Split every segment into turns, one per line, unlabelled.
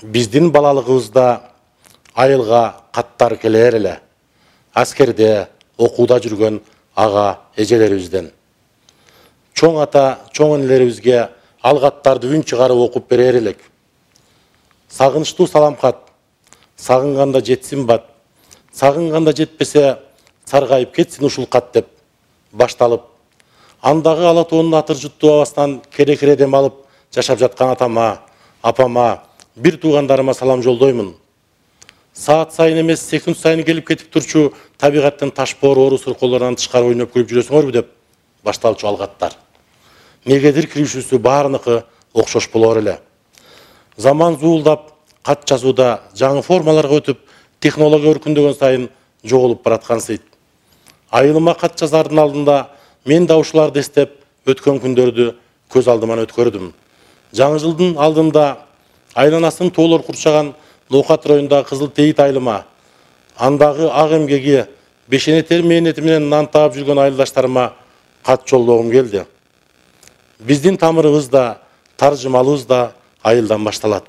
Биздин балалыгыбызда айылга каттар келер эле. Аскерде, окууда жүргөн ага эжелерибизден. Чоң ата, чоң энелерибизге ал каттарды үн чыгарып окуп берер элек. Сагынычтуу салам кат, сагынганда жетсин бат, сагынганда жетпесе саргайып кетсин ушул кат деп башталып, андагы ала тоонун атыр жуттуу абасынан кере-кере дем алып жашап жаткан атама, апама, бир туугандарыма салам жолдоймун. Саат сайын эмес, секунд сайын келип кетип турчу табигаттын ташпоор ору суркоолорунан тышкары ойноп күлүп жүрөсүңөрбү деп башталчу алгаттар. Негедир киришүүсү баарыныкы окшош болор эле. Заман зуулдап, кат жазууда жаңы формаларга өтүп, технология өркүндөгөн сайын жоголуп бараткансыйт. Айылыма кат жазардын алдында мен да ушуларды эстеп, өткөн күндөрдү көз алдыман өткөрдүм. Жаңы жылдын алдында айланасын тоолор курчаган Ноокат районундагы Кызыл Тейит айылыма, андагы ак эмгеги, бешенетер мээнети менен нан таап жүргөн айылдаштарыма кат жолдогум келди. Биздин тамырыбыз да, таржымалыбыз да айылдан башталат.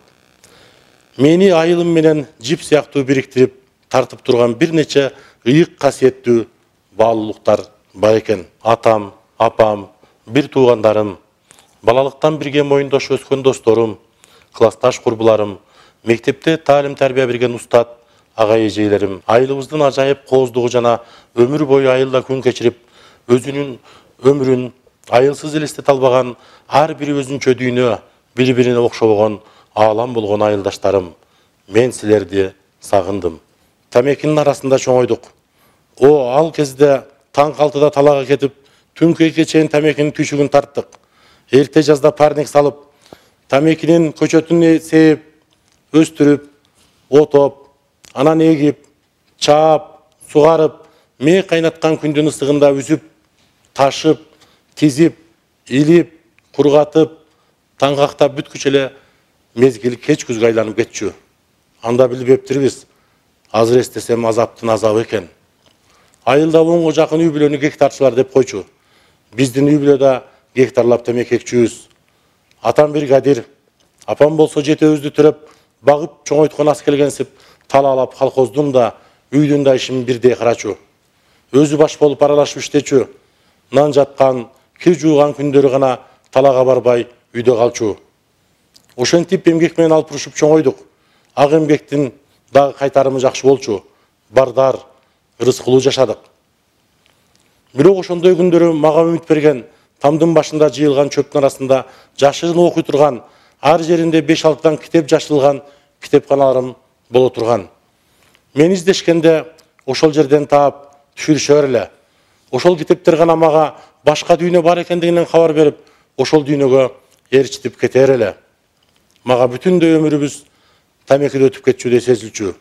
Мени айылым менен жип сыяктуу бириктирип, тартып турган бир нече ыйык касиеттүү баалуулуктар бар экен. Атам, апам, бир туугандарым, балалыктан бирге моюндош өскөн досторум, классташ курбуларым, мектепте таалим тарбия берген устат, ага эжейлерим, айылыбыздын ажайып кооздугу жана өмүр бою айылда күн кечирип, өзүнүн өмүрүн айылсыз элестете албаган ар бири өзүнчө дүйнө, бири-бирине окшобогон аалам болгон айылдаштарым, мен силерди сагындым. Тамекинин арасында чоңойдук. Ал кезде таң 6-да талага кетип, түнкүгө чейин тамекинин түйшүгүн тарттык. Эрте жазда парник салып, тамекинин көчөтүн сээп, өстүрүп, отоп, анан эгип, чаап, сугарып, мээ кайнаткан күндүн ысыгында үзүп, ташып, тизип, илип, кургатып, таңгактап бүткүчө эле мезгил кеч күзгө айланып кетчү. Анда билбептирбиз. Азыр эстесем азаптын азабы экен. Айылда 10го жакын үй бүлөнү гектарчылар деп койчу. Биздин үй бүлөдө гектарлап темеки экчүбүз. Атам бригадир, апам болсо жетөөбүздү төрөп, багып чоңойткон ас келгенсип, талаалап колхоздун да, үйдүн да ишин бирдей карачу. Өзү баш болуп аралашып иштечү. Нан жаткан, кир жууган күндөрү гана талага барбай үйдө калчу. Ошентип эмгек менен алпурушуп чоңойдук. Ак эмгектин дагы кайтарымы жакшы болчу. Бардар, ырыскулуу жашадык. Бирок ошондой күндөрү мага үмүт берген, тамдын башында жыйылган чөптүн арасында жашыгын окуй турган, ар жеринде 5-6дан китеп жашылган китепканаларым боло турган. Мен издешкенде ошол жерден таап түшүрүшөр эле. Ошол китептер гана мага башка дүйнө бар экендигинен кабар берип, ошол дүйнөгө ээрчитип кетер эле. Мага бүтүндөй өмүрүбүз тамекиде өтүп кетчүдөй сезилчү.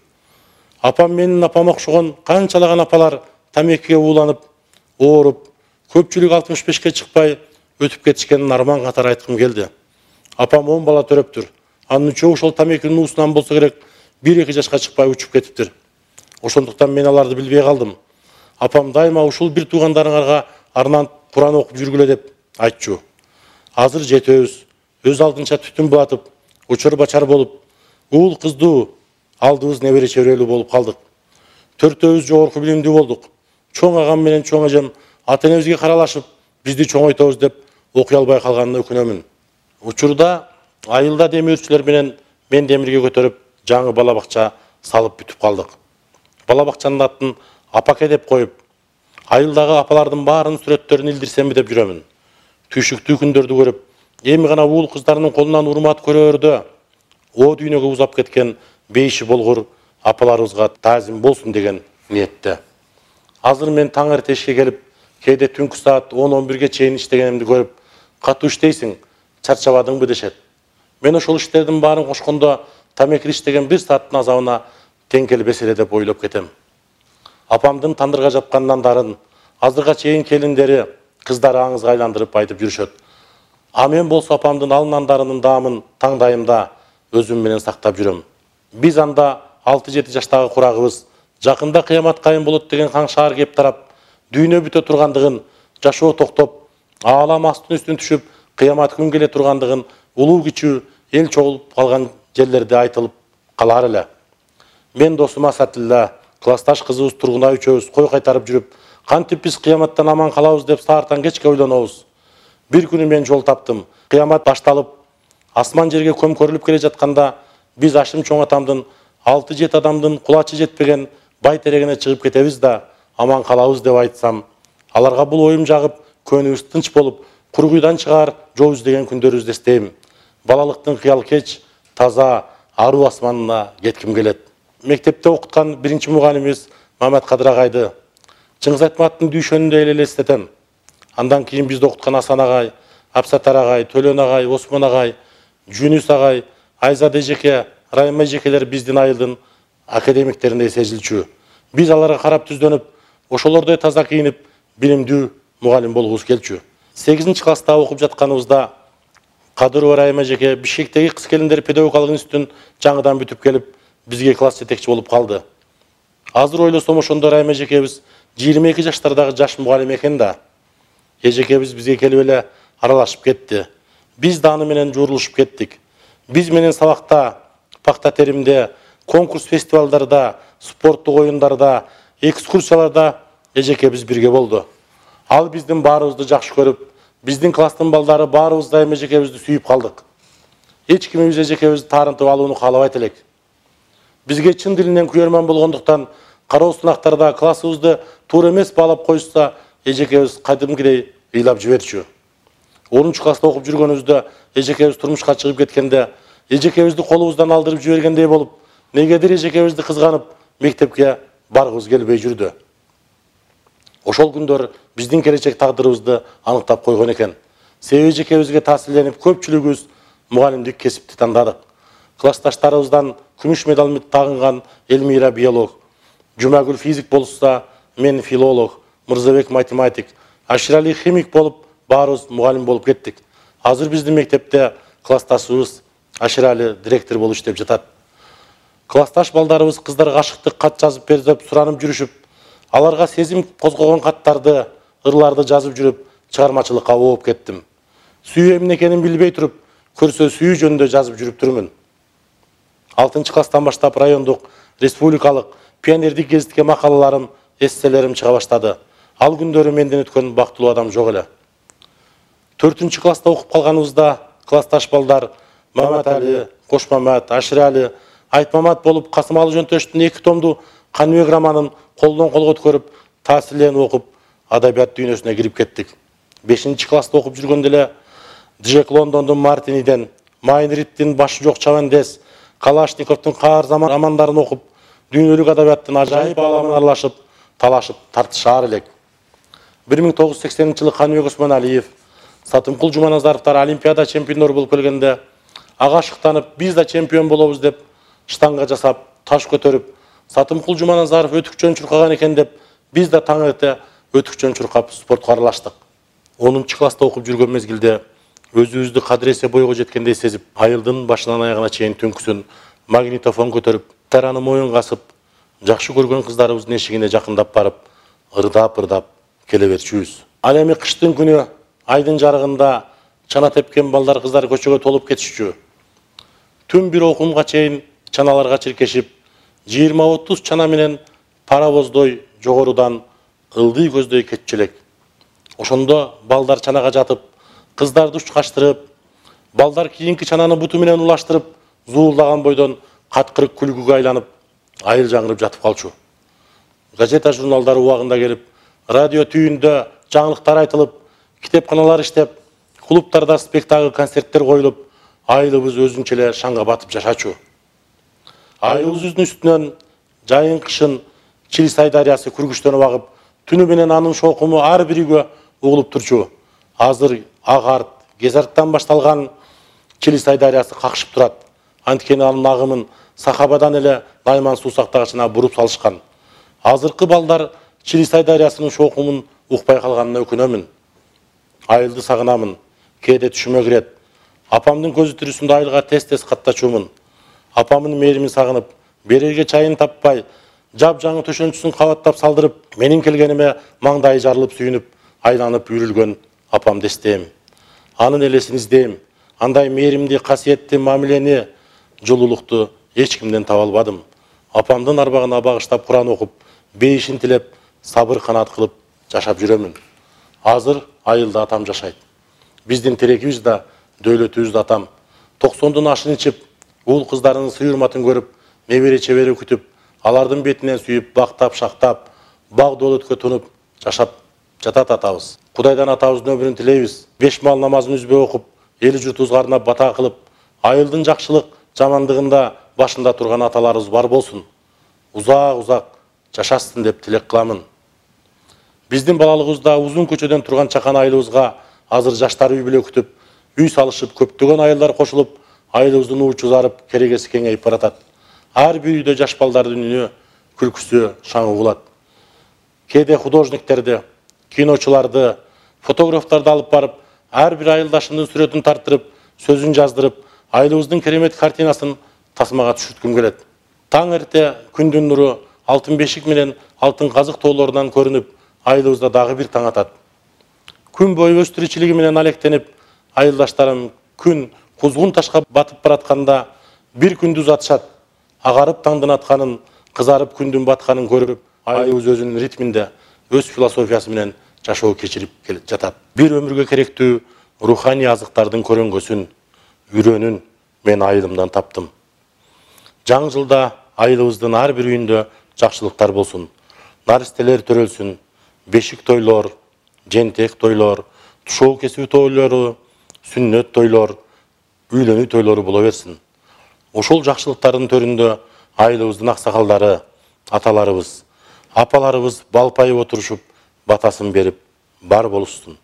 Апам менин апама окшогон канчалаган апалар тамекиге ууланып, ооруп, көпчүлүк 65-ке чыкпай өтүп кетишкенин арман катары айткым келди. Апам 10 бала төрөптүр. Анын үчөө ошол тамекинин уусунан болсо керек 1-2 жашка чыкпай учуп кетиптир. Ошондуктан мен аларды билбей калдым. Апам дайыма ушул бир туугандарыңарга арнан Куран окуп жүргүлө деп айтчу. Азыр жетөөбүз, өз алдынча түтүн булатып, учур бачар болуп, уул кыздуу, алдыбыз небере чеберелүү болуп калдык. Төртөөбүз жогорку билимдүү болдук. Чоң агам менен чоң эжем ата энебизге каралашып, бизди чоңойтобуз деп окуй албай калганына өкүнөмүн. Учурда айылда демирчилер менен мен демирге көтөрүп, жаңы бала бакча салып бүтүп калдык. Бала бакчанын атын Апаке деп коюп, айылдагы апалардын баарынын сүрөттөрүн илдирсемби деп жүрөмүн. Түйшүктүү күндөрдү көрүп, эми гана уул кыздарынын колунан урмат көрөөрдө, дүйнөгө узап кеткен бейиши болгур апаларыбызга таазим болсун деген ниетте. Азыр мен таң эрте ишке келип, кээде түнкү саат 10-11ге чейин иштегенимди көрүп, катуу иштейсиң, чарчабадыңбы дешет. Мен ошол иштердин баарын кошкондо тамекиде иштеген 1 сааттын азабына тең келбес эле деп ойлоп кетем. Апамдын тандырга жапкан нандарын азырга чейин келиндери, кыздары аңызга айландырып айтып жүрүшөт. А мен болсо апамдын ал нандарынын даамын таңдайымда өзүм менен сактап жүрөм. Биз анда 6-7 жаштагы курагыбыз жакында кыямат кайын болот деген каңшаар кеп тарап, дүйнө бүтө тургандыгын, жашоо токтоп, аалам астын үстүн түшүп, кыямат күн келе тургандыгын улуу кичүү эл чогулуп калган жерлерде айтылып калар эле. Мен досум Асатилла, классташ кызыбыз Тургунай үчөөбүз кой кайтарып жүрүп, кантип биз кыяматтан аман калабыз деп саартан кечке ойлонобуз. Бир күнү мен жол таптым. Кыямат башталып, асман жерге көмкөрүлүп келе жатканда, биз Ашим чоң атамдын 6-7 адамдын кулачы жетпеген бай терегине чыгып кетебиз да аман калабыз деп айтсам, аларга бул оюм жагып, көңүлүбүз тынч болуп, кургуйдан чыгаар жол издеген күндөрүбүздү эстейм. Балалыктын кыял кеч, таза, аруу асманына кетким келет. Мектепте окуткан биринчи мугалимибиз Мамат Кадыр агайды Чыңгыз Айтматовдун дүйшөнүндө элестетем. Андан кийин бизди окуткан Асан агай, Апсатар агай, Төлөн агай, Осмон агай, Жүнүс агай, Айзат эжеке, Райым эжекелер биздин айылдын академиктериндей сезилчү. Биз аларга карап түздөнүп, ошолордой таза кийинип, билимдүү мугалим болгубуз келчү. 8-класста окуп жатканыбызда Кадырова Райым эжеке Бишкектеги кыз келиндер педагогикалык институтун жаңыдан бүтүп келип, бизге класс жетекчи болуп калды. Азыр ойлосом ошондо Райым эжекебиз 22 жаштардагы жаш мугалим экен да. Эжекебиз бизге келип эле аралашып кетти. Биз да аны менен жуурулушуп кеттик. Биз менен сабакта, пакта теримде, конкурс фестивалдарда, спорттук оюндарда, экскурсияларда эжекебиз бирге болду. Ал биздин баарыбызды жакшы көрүп, биздин класстын балдары баарыбыз да эжекебизди сүйүп калдык. Эч кимибиз эжекебизди таарынтып алууну каалабайт элек. Бизге чын дилинен күйөрман болгондуктан кароо сынактарда классыбызды туура эмес баалап коюшса, эжекебиз кайдымкидей ыйлап жиберчү. 10-класста окуп жүргөнүбүздө эжекебиз турмушка чыгып кеткенде, эжекебизди колубуздан алдырып жибергендей болуп, негедир эжекебизди кызганып, мектепке баргыбыз келбей жүрдү. Ошол күндөр биздин келечек тагдырыбызды аныктап койгон экен. Себеби эжекебизге таасирленип, көпчүлүгүбүз мугалимдик кесипти тандадык. Классташтарыбыздан күмүш медаль тагынган Элмира биолог, Жумагүл физик болса, мен филолог, Мырзабек математик, Аширали химик болуп, баарыбыз мугалим болуп кеттик. Азыр биздин мектепте классташыбыз Аширали директор болуп иштеп жатат. Классташ балдарыбыз кыздарга ашыктык кат жазып бер деп суранып жүрүшүп, аларга сезим козгогон каттарды, ырларды жазып жүрүп, чыгармачылыкка ооп кеттим. Сүйүү эмне экенин билбей туруп, көрсө сүйүү жөнүндө жазып жүрүп турмун. 6-класстан баштап райондук, республикалык, пионердик гезитке макалаларым, эсселерим чыга баштады. Ал күндөрү менден өткөн бактылуу адам жок эле. 4-класста окуп калганыбызда классташ балдар Маматали, Кошмамат, Аширали, Айтмамат болуп, Касымалы Жөнтөштүн 2 томду Каныбек романын колдон колго өткөрүп, таасирленип окуп, адабият дүйнөсүнө кирип кеттик. 5-класста окуп жүргөндө эле Джек Лондондун Мартиниден, Майнриттин Башы жок Чавандес, Калашниковдун Каар заман романдарын окуп, дүйнөлүк адабияттын ажайып ааламына аралашып, талашып, тартышаар элек. 1980-жылы Каныбек Осмоналиев, Сатымкул Жуманазаровдор Олимпиада чемпиондору болуп келгенде, ага ашыктанып, биз да чемпион болобуз деп штанга жасап, таш көтөрүп, Сатымкул Жуманазаров өтүкчөн чуркаган экен деп, биз да таң эрте өтүкчөн чуркап спортко аралаштык. 10-класста окуп жүргөн мезгилде өзүбүздү кадыресе бойго жеткендей сезип, айылдын башынан аягына чейин түнкүсүн магнитофон көтөрүп, тараны моюнга асып, жакшы көргөн кыздарыбыздын эшигине жакындап барып, ырдап келе берчүбүз. Ал эми кыштын күнү айдын жарыгында чана тепкен балдар кыздар көчөгө толуп кетишчү. Түн бир окумга чейин чаналарга чиркешип, 20-30 чана менен паровоздой жогорудан ылдый көздөй кетчү элек. Ошондо балдар чанага жатып, кыздарды учкаштырып, балдар кийинки чананы буту менен улаштырып, зуулдаган бойдон каткырык күлгүгө айланып, айыл жаңырып жатып калчу. Газета журналдар убагында келип, радио түйүндө жаңылыктар айтылып, китепканалар иштеп, клубтарда спектакль, концерттер коюлуп, айылыбыз өзүнчө эле шаңга батып жашачу. Айылыбыздын үстүнөн жайын кышын Чилисай дарыясы күргүчтөнүп агып, түнү менен анын шоокуму ар бир үйгө угулуп турчу. Азыр Агарт, Кезарттан башталган Чилисай дарыясы какшып турат. Анткени анын агымын Сахабадан эле Найман суу сактагычына буруп салышкан. Азыркы балдар Чилисай дарыясынын шоокумун укпай калганына өкүнөмүн. Айылды сагынамын, кээде түшүмө кирет. Апамдын көзү тирүүсүндө айылга тез-тез каттачуумун. Апамдын мээримин сагынып, берерге чайын таппай, жап-жаңы төшөнчүсүн кабаттап салдырып, менин келгениме маңдайы жарылып сүйүнүп, айланып үйрүлгөн апамды эстейм. Анын элесин издейм. Андай мээримди, касиетти мамилени, жылуулукту эч кимден таба албадым. Апамдын арбагына багыштап Куран окуп, бейишин тилеп, сабыр канаат кылып жашап жүрөмүн. Азыр айылда атам жашайт. Биздин тирекибиз да, дөөлөтүбүз да атам. 90-дун ашын ичип, уул кыздарынын сый урматын көрүп, небере чебери күтүп, алардын бетинен сүйүп, бактап, шактап, баг доолөткө тунуп жашап жатат атабыз. Кудайдан атабыздын өмүрүн тилейбиз. 5 мал намазын үзбөй окуп, эл журтубузга арнап бата кылып, айылдын жакшылык, жамандыгында башында турган аталарыбыз бар болсун. Узак жашасын деп тилек кыламын. Биздин балалыгыбызда узун көчөдөн турган чакан айылыбызга азыр жаштар үй бүлө күтүп, үй салышып, көптөгөн айылдар кошулуп, айылыбыздын уучу зарып, керегеси кеңейип баратат. Ар бир үйдө жаш балдардын үнү, күлкүсү шаңы угулат. Кээде художниктерди, киночуларды, фотографтарды алып барып, ар бир айылдашымдын сүрөтүн тарттырып, сөзүн жаздырып, айылыбыздын керемет картинасын тасмага түшүрткүм келет. Таң эрте күндүн нуру алтын бешик менен алтын казык тоолорунан көрүнүп, айылыбызда дагы бир таң атат. Күн бою өз тиричилиги менен алектенип, айылдаштарым күн кузгун ташка батып баратканда бир күндү узатышат. Агарып таңдын атканын, кызарып күндүн батканын көрүп, айылыбыз өзүнүн ритминде, өз философиясы менен жашоо кечирип жатат. Бир өмүргө керектүү руханий азыктардын көрөнгөсүн, үйрөнүн мен айылымдан таптым. Жаңы жылда айылыбыздын ар бир үйүндө жакшылыктар болсун. Наристелер төрөлсүн, бешик тойлор, жентек тойлор, тушоо кесүү тойлору, сүннөт тойлор, үйлөнүү тойлору боло берсин. Ошол жакшылыктардын төрүндө айылыбыздын аксакалдары, аталарыбыз, апаларыбыз балпайып отурушуп, батасын берип бар болушсун.